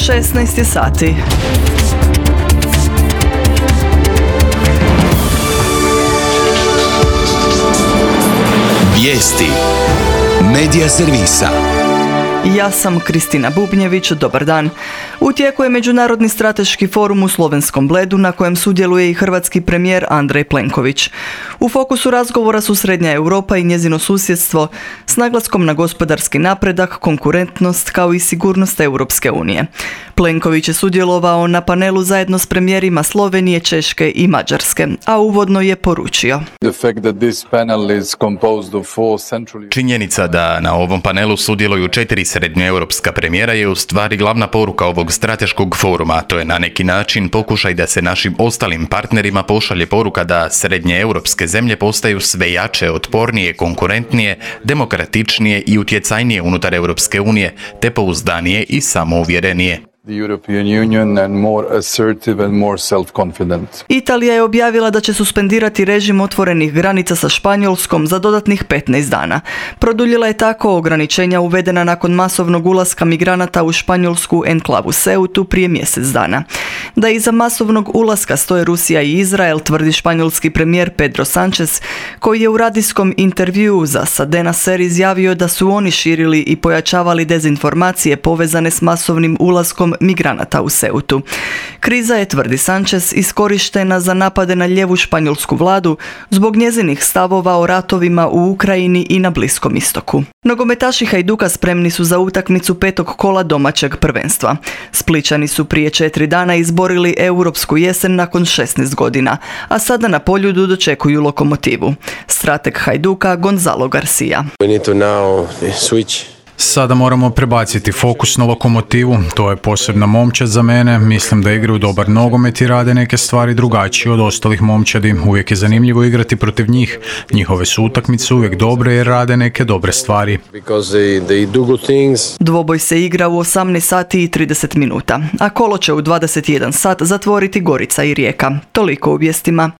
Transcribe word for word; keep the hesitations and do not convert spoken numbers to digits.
šesnaest je sati. Vijesti Medija servisa. Ja sam Kristina Bubnjević, dobar dan. U tijeku je Međunarodni strateški forum u Slovenskom Bledu na kojem sudjeluje i hrvatski premijer Andrej Plenković. U fokusu razgovora su Srednja Europa i njezino susjedstvo s naglaskom na gospodarski napredak, konkurentnost kao i sigurnost Europske unije. Plenković je sudjelovao na panelu zajedno s premijerima Slovenije, Češke i Mađarske, a uvodno je poručio. Činjenica da na ovom panelu sudjeluju četiri srednjoeuropska premijera je u stvari glavna poruka ovog strateškog foruma. To je na neki način pokušaj da se našim ostalim partnerima pošalje poruka da srednjeeuropske zemlje postaju sve jače, otpornije, konkurentnije, demokratičnije i utjecajnije unutar Europske unije, te pouzdanije i samouvjerenije. The European Union and more assertive and more self-confident. Italija je objavila da će suspendirati režim otvorenih granica sa Španjolskom za dodatnih petnaest dana. Produljila je tako ograničenja uvedena nakon masovnog ulaska migranata u španjolsku enklavu Ceutu prije mjesec dana. Da iza masovnog ulaska stoje Rusija i Izrael, tvrdi španjolski premijer Pedro Sánchez, koji je u radijskom intervjuu za Cadena Ser izjavio da su oni širili i pojačavali dezinformacije povezane s masovnim ulaskom migranata u Ceutu. Kriza je, tvrdi Sánchez, iskorištena za napade na lijevu španjolsku vladu zbog njezinih stavova o ratovima u Ukrajini i na Bliskom istoku. Nogometaši Hajduka spremni su za utakmicu petog kola domaćeg prvenstva. Splićani su prije četiri dana izborili europsku jesen nakon šesnaest godina, a sada na Poljudu dočekuju Lokomotivu. Strateg Hajduka Gonzalo Garcia. We need to now switch. Sada moramo prebaciti fokus na Lokomotivu, to je posebna momčad za mene, mislim da igraju dobar nogomet i rade neke stvari drugačije od ostalih momčadi, uvijek je zanimljivo igrati protiv njih, njihove su utakmice uvijek dobre jer rade neke dobre stvari. They, they do good things. Dvoboj se igra u osamnaest sati i trideset minuta, a kolo će u dvadeset jedan sat zatvoriti Gorica i Rijeka. Toliko u vijestima.